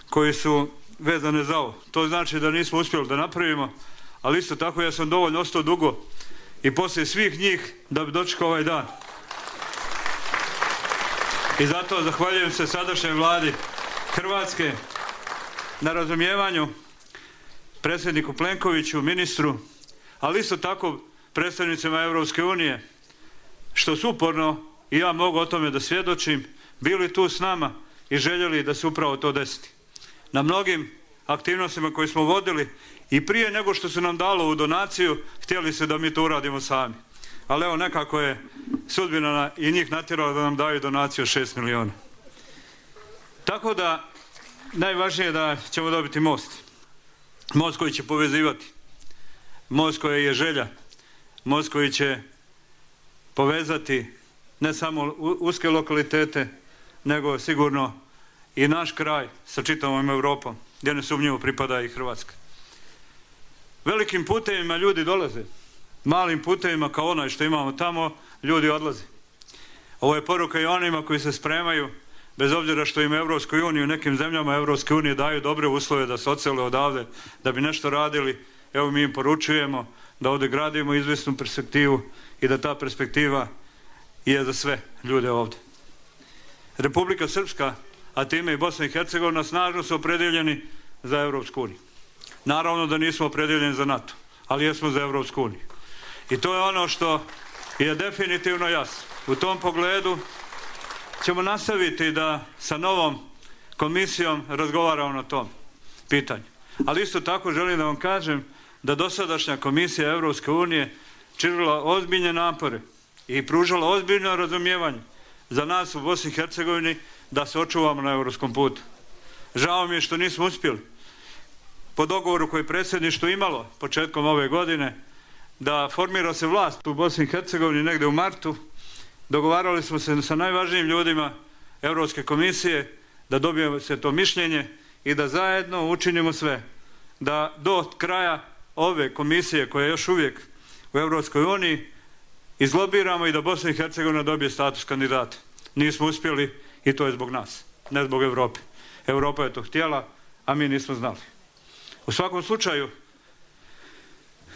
J: koje su vezane za ovo. To znači da nismo uspjeli da napravimo, ali isto tako ja sam dovoljno ostao dugo i poslije svih njih da bi dočekao ovaj dan. I zato zahvaljujem se sadašnjoj vladi Hrvatske na razumijevanju, predsjedniku Plenkoviću, ministru, ali isto tako predstavnicima Europske unije, što su uporno, i ja mogu o tome da svjedočim, bili tu s nama i željeli da se upravo to desiti. Na mnogim aktivnostima koje smo vodili i prije nego što su nam dalo u donaciju, htjeli se da mi to uradimo sami. Ali evo, nekako je sudbina i njih natjerala da nam daju donaciju 6 milijuna. Tako da, najvažnije je da ćemo dobiti most. Most koji će povezivati. Most koji je želja. Most koji će povezati ne samo uske lokalitete, nego sigurno i naš kraj sa čitavom Europom, gdje nesumnjivo pripada i Hrvatska. Velikim putevima ljudi dolaze. Malim putevima kao onaj što imamo tamo, ljudi odlaze. Ovo je poruka i onima koji se spremaju, bez obzira što im Europskoj uniji, u nekim zemljama Europske unije daju dobre uslove da se odsele odavde, da bi nešto radili. Evo, mi im poručujemo da ovdje gradimo izvjesnu perspektivu i da ta perspektiva je za sve ljude ovdje. Republika Srpska, a time i Bosna i Hercegovina, snažno su opredjeljeni za Europsku uniju. Naravno da nismo opredjeljeni za NATO, ali jesmo za Europsku uniju. I to je ono što je definitivno jasno. U tom pogledu ćemo nastaviti da sa novom komisijom razgovaramo na tom pitanju. Ali isto tako želim da vam kažem da dosadašnja komisija Europske unije činila ozbiljne napore i pružala ozbiljno razumijevanje za nas u Bosni i Hercegovini da se očuvamo na europskom putu. Žao mi je što nismo uspjeli po dogovoru koji je predsjedništvo imalo početkom ove godine da formira se vlast u Bosni i Hercegovini negdje u martu. Dogovarali smo se sa najvažnijim ljudima Europske komisije da dobijemo se to mišljenje i da zajedno učinimo sve da do kraja ove komisije koja je još uvijek u Europskoj uniji izlobiramo i da Bosna i Hercegovina dobije status kandidata. Nismo uspjeli i to je zbog nas, ne zbog Europe. Europa je to htjela, a mi nismo znali. U svakom slučaju,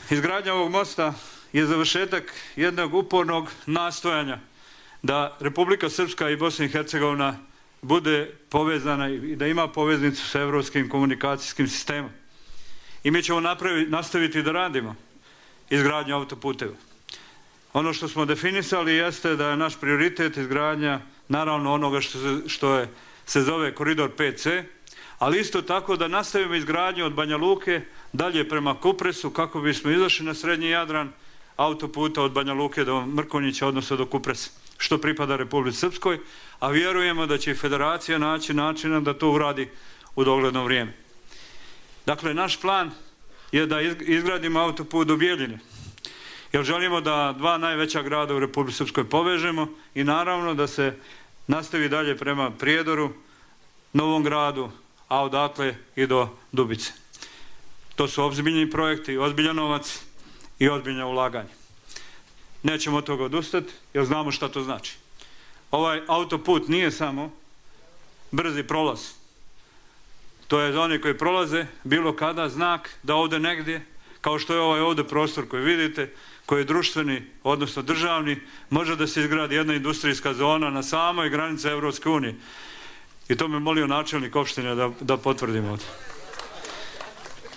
J: izgradnja ovog mosta je završetak jednog upornog nastojanja da Republika Srpska i Bosna i Hercegovina bude povezana i da ima poveznicu sa europskim komunikacijskim sistemom. I mi ćemo nastaviti da radimo izgradnju autoputeva. Ono što smo definisali jeste da je naš prioritet izgradnja naravno onoga što se zove koridor 5C, ali isto tako da nastavimo izgradnju od Banja Luke dalje prema Kupresu kako bismo izašli na srednji Jadran autoputa od Banja Luke do Mrkonjića, odnosno do Kupresa, što pripada Republici Srpskoj, a vjerujemo da će i Federacija naći načina da to uradi u dogledno vrijeme. Dakle, naš plan je da izgradimo autoput do Bijeljine, jer želimo da dva najveća grada u Republici Srpskoj povežemo i naravno da se nastavi dalje prema Prijedoru, Novom Gradu, a odatle i do Dubice. To su ozbiljni projekti, ozbiljan novac i ozbiljna ulaganja. Nećemo od toga odustati jer znamo šta to znači. Ovaj autoput nije samo brzi prolaz. To je za one koji prolaze bilo kada znak da ovdje negdje, kao što je ovaj ovdje prostor koji vidite, koji je društveni, odnosno državni, može da se izgradi jedna industrijska zona na samoj granici Evropske unije. I to me molio načelnik opštine da potvrdimo ovdje.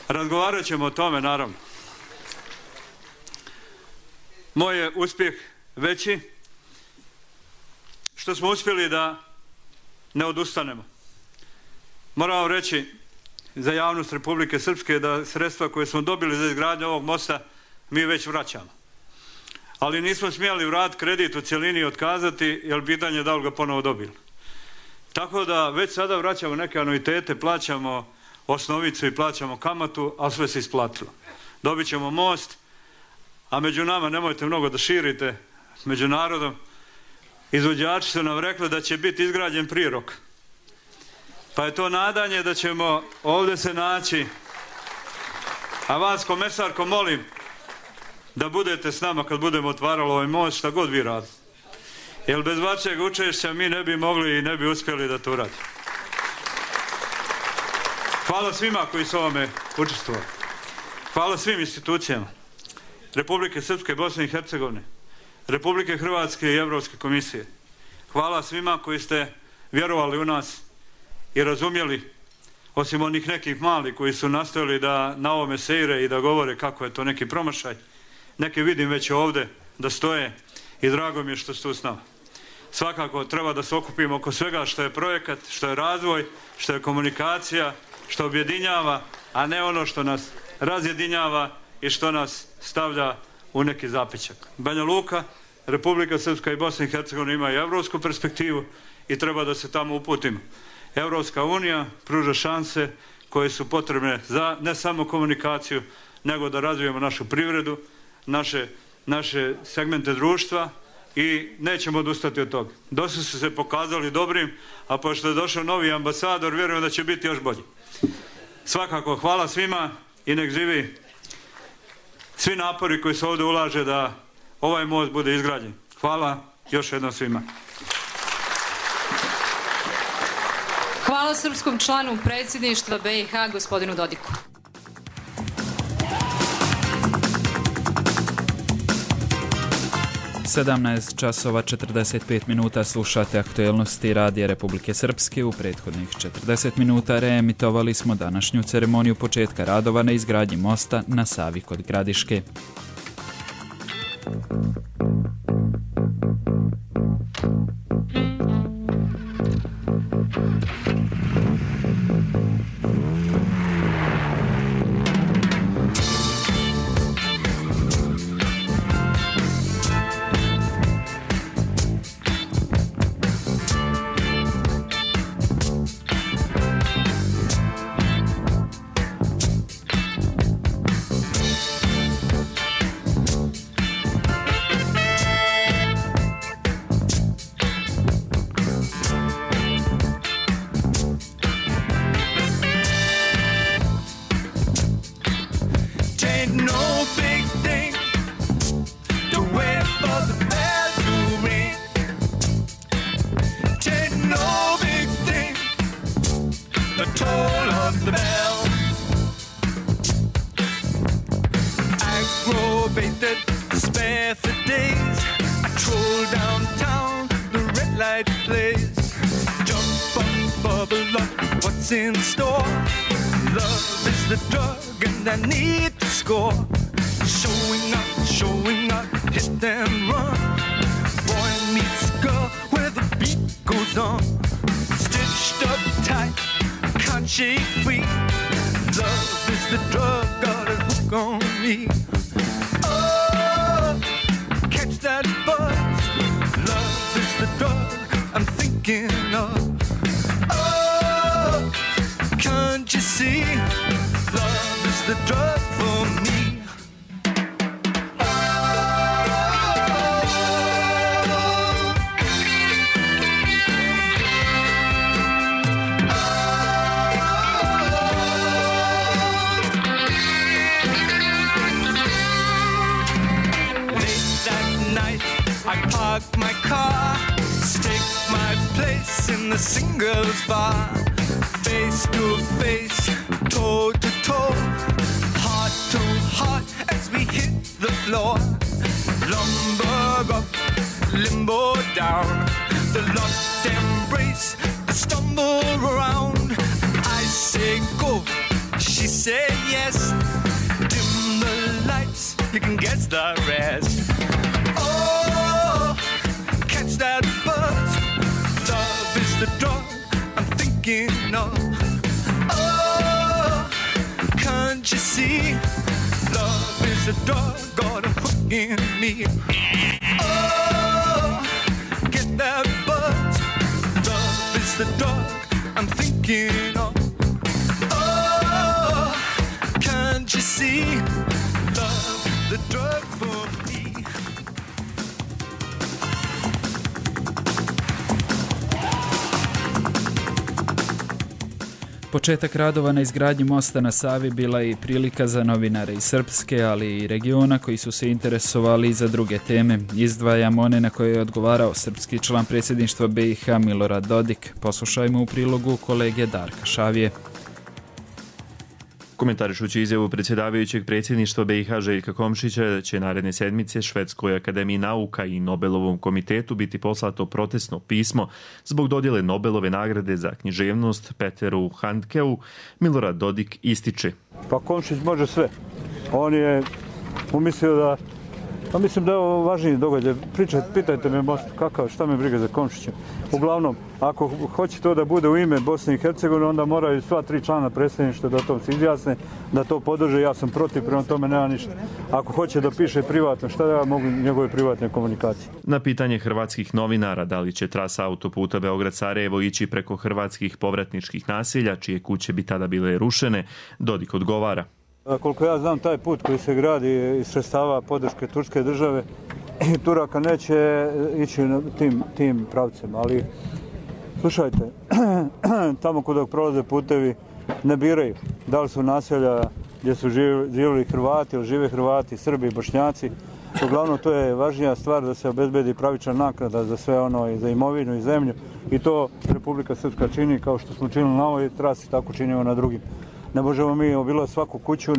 J: Razgovarat ćemo o tome, naravno. Moj je uspjeh veći što smo uspjeli da ne odustanemo. Moram vam reći za javnost Republike Srpske da sredstva koje smo dobili za izgradnju ovog mosta mi već vraćamo. Ali nismo smjeli vratiti kredit u cjelini i otkazati jer pitanje je da li ga ponovo dobili. Tako da već sada vraćamo neke anuitete, plaćamo osnovicu i plaćamo kamatu, a sve se isplatilo. Dobit ćemo most, a među nama nemojte mnogo da širite, među narodom. Izvođači su nam rekli da će biti izgrađen prije roka. Pa je to nadanje da ćemo ovdje se naći. A vas, komesarko, molim da budete s nama kad budemo otvarali ovaj most, šta god vi radite. Jer bez vašeg učešća mi ne bi mogli i ne bi uspjeli da to uradimo. Hvala svima koji su ovome učestvovali. Hvala svim institucijama Republike Srpske, Bosne i Hercegovine, Republike Hrvatske i Evropske komisije. Hvala svima koji ste vjerovali u nas i razumjeli, osim onih nekih malih koji su nastojali da na ovome seire i da govore kako je to neki promašaj. Neke vidim već ovdje da stoje i drago mi je što ste tu s nama. Svakako treba da se okupimo oko svega što je projekat, što je razvoj, što je komunikacija, što objedinjava, a ne ono što nas razjedinjava i što nas stavlja u neki zapećak. Banja Luka, Republika Srpska i Bosna i Hercegovina imaju evropsku perspektivu i treba da se tamo uputimo. Evropska unija pruža šanse koje su potrebne za ne samo komunikaciju, nego da razvijemo našu privredu, naše segmente društva i nećemo odustati od toga. Dosta su se pokazali dobrim, a pošto je došao novi ambasador, vjerujem da će biti još bolji. Svakako, hvala svima i nek živi svi napori koji se ovdje ulaže da ovaj most bude izgrađen. Hvala još jednom svima.
A: Hvala srpskom članu predsjedništva BiH, gospodinu Dodiku.
B: Sedamnaest časova 45 minuta slušate aktuelnosti Radija Republike Srpske. U prethodnih 40 minuta reemitovali smo današnju ceremoniju početka radova na izgradnji mosta na Savi kod Gradiške.
K: In store, love is the drug and I need to score. Showing up, hit and run. Boy meets girl where the beat goes on. Stitched up tight, can't shake free. Love is the drug, got a hook on me. Oh, catch that buzz. Love is the drug I'm thinking of. Can't you see? Love is the drug for me. car. Take my place in the singles bar. Face to face, toe to toe, heart to heart as we hit the floor. Lumber up, limbo down, the locked embrace, the stumble around. I say go, she say yes. Dim the lights, you can guess the rest. Oh, catch that buzz. Love is the drug I'm thinking of. Oh, can't you see? Love is the drug got a hook in me. Oh, get that buzz. Love is the drug I'm thinking of. Oh, can't you see? Love the drug for me.
B: Početak radova na izgradnji mosta na Savi bila je i prilika za novinare iz Srpske, ali i regiona koji su se interesovali i za druge teme. Izdvajamo one na koje je odgovarao srpski član predsjedništva BiH Milorad Dodik. Poslušajmo u prilogu kolege Darka Šavije.
L: Komentarišući izjavu predsjedavajućeg predsjedništva BiH Željka Komšića da će naredne sedmice Švedskoj akademiji nauka i Nobelovom komitetu biti poslato protestno pismo zbog dodjele Nobelove nagrade za književnost Peteru Handkeu, Milorad Dodik ističe.
M: Pa Komšić može sve. On je umislio da... Pa mislim da je ovo važniji događaj. Pitajte me most kakav, šta me briga za Komšića. Uglavnom, ako hoće to da bude u ime Bosne i Hercegovine, onda moraju sva 3 člana predsjedništva da to se izjasne, da to podrže. Ja sam protiv, prema tome nema ništa. Ako hoće da piše privatno, šta da ja mogu njegove privatne komunikacije?
L: Na pitanje hrvatskih novinara da li će trasa autoputa Beograd-Sarajevo ići preko hrvatskih povratničkih naselja, čije kuće bi tada bile rušene, Dodik odgovara.
M: Koliko ja znam, taj put koji se gradi iz sredstava podrške turske države, Turaka neće ići tim pravcem, ali slušajte, tamo kod prolaze putevi ne biraju da li su naselja gdje su živjeli Hrvati ili žive Hrvati, Srbi i Bošnjaci. Uglavnom, to je važnija stvar da se obezbedi pravična naknada za sve ono, i za imovinu i zemlju, i to Republika Srpska čini kao što smo činili na ovoj trasi, tako činimo na drugim. Ne možemo mi obilaziti svaku kuću,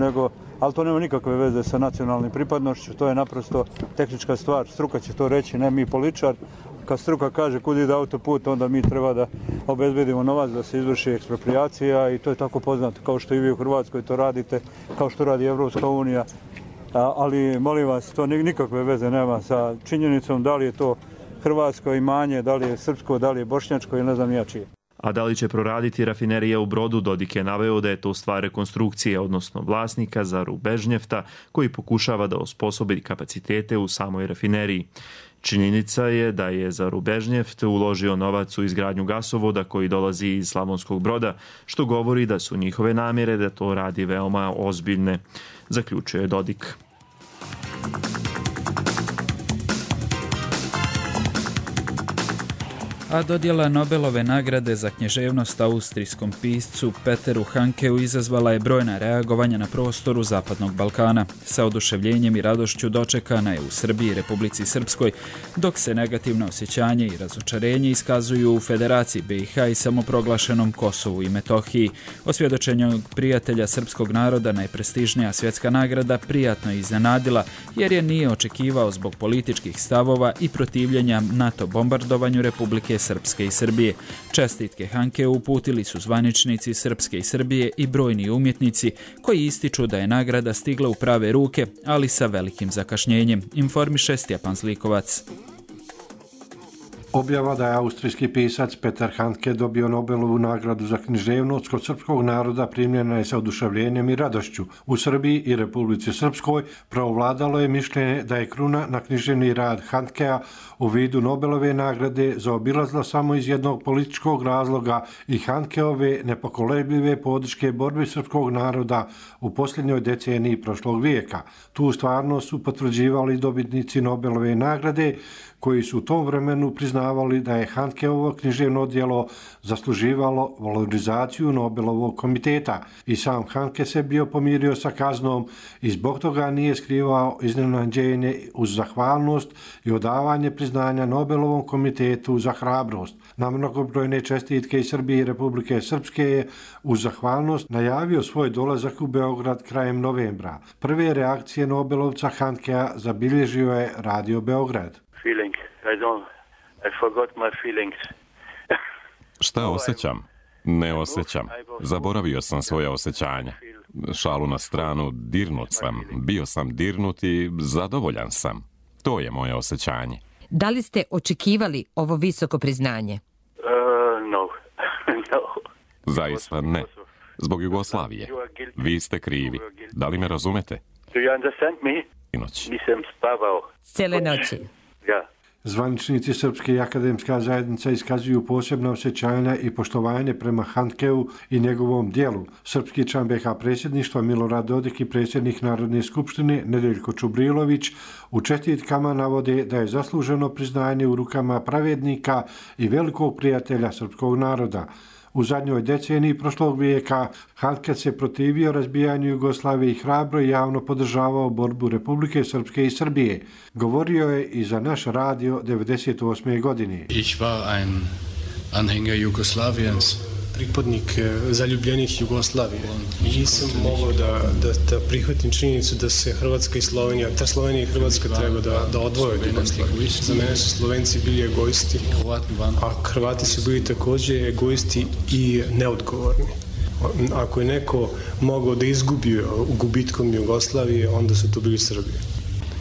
M: ali to nema nikakve veze sa nacionalnim pripadnošću, to je naprosto tehnička stvar. Struka će to reći, ne mi političar. Kad struka kaže kud ide autoput, onda mi treba da obezbedimo novac da se izvrši eksproprijacija, i to je tako poznato, kao što i vi u Hrvatskoj to radite, kao što radi Evropska unija. Ali molim vas, to nikakve veze nema sa činjenicom da li je to hrvatsko imanje, da li je srpsko, da li je bošnjačko ili ne znam ja čije.
L: A da li će proraditi rafinerija u Brodu, Dodik je naveo da je to stvar rekonstrukcije, odnosno vlasnika Zaru Bežnjefta, koji pokušava da osposobi kapacitete u samoj rafineriji. Činjenica je da je Zaru Bežnjeft uložio novac u izgradnju gasovoda koji dolazi iz Slavonskog Broda, što govori da su njihove namjere da to radi veoma ozbiljne, zaključuje Dodik.
B: A dodjela Nobelove nagrade za književnost austrijskom piscu Peteru Handkeu izazvala je brojna reagovanja na prostoru Zapadnog Balkana. Sa oduševljenjem i radošću dočekana je u Srbiji i Republici Srpskoj, dok se negativno osjećanje i razočarenje iskazuju u Federaciji BiH i samoproglašenom Kosovu i Metohiji. Osvjedočenje prijatelja srpskog naroda najprestižnija svjetska nagrada prijatno je iznenadila, jer je nije očekivao zbog političkih stavova i protivljenja NATO bombardovanju Republike Srpske i Srbije. Čestitke Handkeu uputili su zvaničnici Srpske i Srbije i brojni umjetnici koji ističu da je nagrada stigla u prave ruke, ali sa velikim zakašnjenjem, informiše Stjepan Zlikovac.
N: Objava da je austrijski pisac Peter Handke dobio Nobelovu nagradu za književnost kod srpskog naroda primljena je sa oduševljenjem i radošću. U Srbiji i Republici Srpskoj preovladalo je mišljenje da je kruna na književni rad Handkea u vidu Nobelove nagrade zaobilazla samo iz jednog političkog razloga i Handkeove nepokolebljive podrške borbi srpskog naroda u posljednjoj deceniji prošlog vijeka. Tu stvarnost su potvrđivali dobitnici Nobelove nagrade koji su u tom vremenu priznavali da je Handkeovo književno djelo zasluživalo valorizaciju Nobelovog komiteta. I sam Handke se bio pomirio sa kaznom i zbog toga nije skrivao iznenađenje uz zahvalnost i odavanje priznanja Nobelovom komitetu za hrabrost. Na mnogobrojne čestitke iz Srbije i Republike Srpske je uz zahvalnost najavio svoj dolazak u Beograd krajem novembra. Prve reakcije Nobelovca Handkea zabilježio je Radio Beograd.
O: Šta osjećam? Ne osjećam. Zaboravio sam svoja osjećanja. Šalu na stranu, dirnut sam. Bio sam dirnut i zadovoljan sam. To je moje osjećanje.
P: Da li ste očekivali ovo visoko priznanje?
O: Zaista ne. Zbog Jugoslavije. Vi ste krivi. Da li me razumete?
P: Nisam spavao. Cijele noći.
N: Zvaničnici Srpske i akademska zajednica iskazuju posebna osjećanja i poštovanje prema Handkeu i njegovom dijelu. Srpski član BiH predsjedništva Milorad Dodik i predsjednik Narodne skupštine Nedeljko Čubrilović u čestitkama navode da je zasluženo priznanje u rukama pravednika i velikog prijatelja srpskog naroda. U zadnjoj deceniji prošlog vijeka Handke se protivio razbijanju Jugoslavije i hrabro i javno podržavao borbu Republike Srpske i Srbije. Govorio je i za naš radio 1998. godine.
Q: Ich war ein Anhänger Jugoslawiens. Pripadnik zaljubljenih Jugoslavije. Nisam mogao da prihvatim činjenicu da se Hrvatska i Slovenija, ta Slovenija i Hrvatska treba da odvoje od Jugoslavije. Za mene su Slovenci bili egoisti, a Hrvati su bili također egoisti i neodgovorni. Ako je neko mogao da izgubi gubitkom Jugoslavije, onda su to bili Srbi.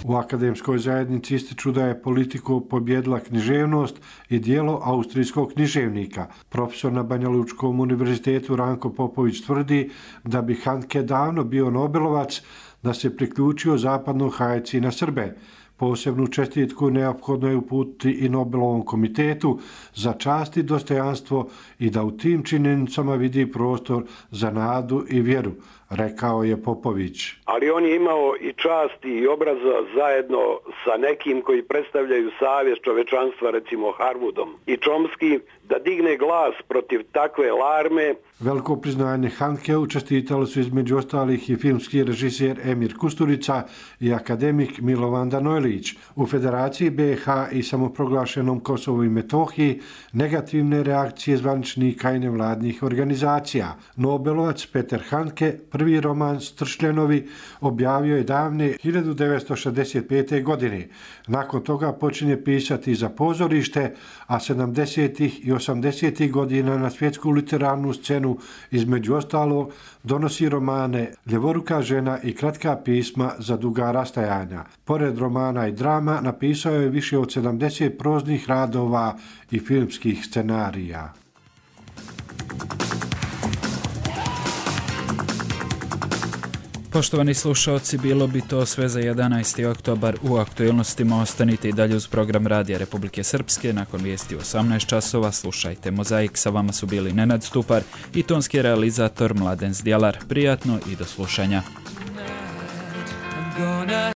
N: U akademskoj zajednici ističu da je politiku pobjedila književnost i dijelo austrijskog književnika. Profesor na Banja Lučkom univerzitetu Ranko Popović tvrdi da bi Handke davno bio Nobelovac da se priključio zapadnoj hajci na Srbe. Posebnu čestitku neophodno je uputiti i Nobelovom komitetu za čast i dostojanstvo i da u tim činjenicama vidi prostor za nadu i vjeru, rekao je Popović.
R: Ali on je imao i čast i obraza zajedno sa nekim koji predstavljaju savjest čovečanstva, recimo Harwoodom i Chomsky, da digne glas protiv takve larme.
N: Veliko priznanje Handkeu čestitali su između ostalih i filmski režiser Emir Kusturica i akademik Milovan Danojlić. U Federaciji BiH i samoproglašenom Kosovu i Metohiji negativne reakcije zvaničnika i nevladnih organizacija. Nobelovac Peter Handke prvi roman Stršljenovi objavio je davne 1965. godine. Nakon toga počinje pisati za pozorište, a 70. i 80. godina na svjetsku literarnu scenu između ostalog donosi romane Ljevoruka žena i kratka pisma za duga rastajanja. Pored romana i drama napisao je više od 70 proznih radova i filmskih scenarija.
B: Poštovani slušalci, bilo bi to sve za 11. oktobar. U aktualnostima ostanite i dalje uz program Radija Republike Srpske. Nakon vijesti 18 časova slušajte Mozaik. Sa vama su bili Nenad Stupar i tonski realizator Mladen Zdjelar. Prijatno i do slušanja.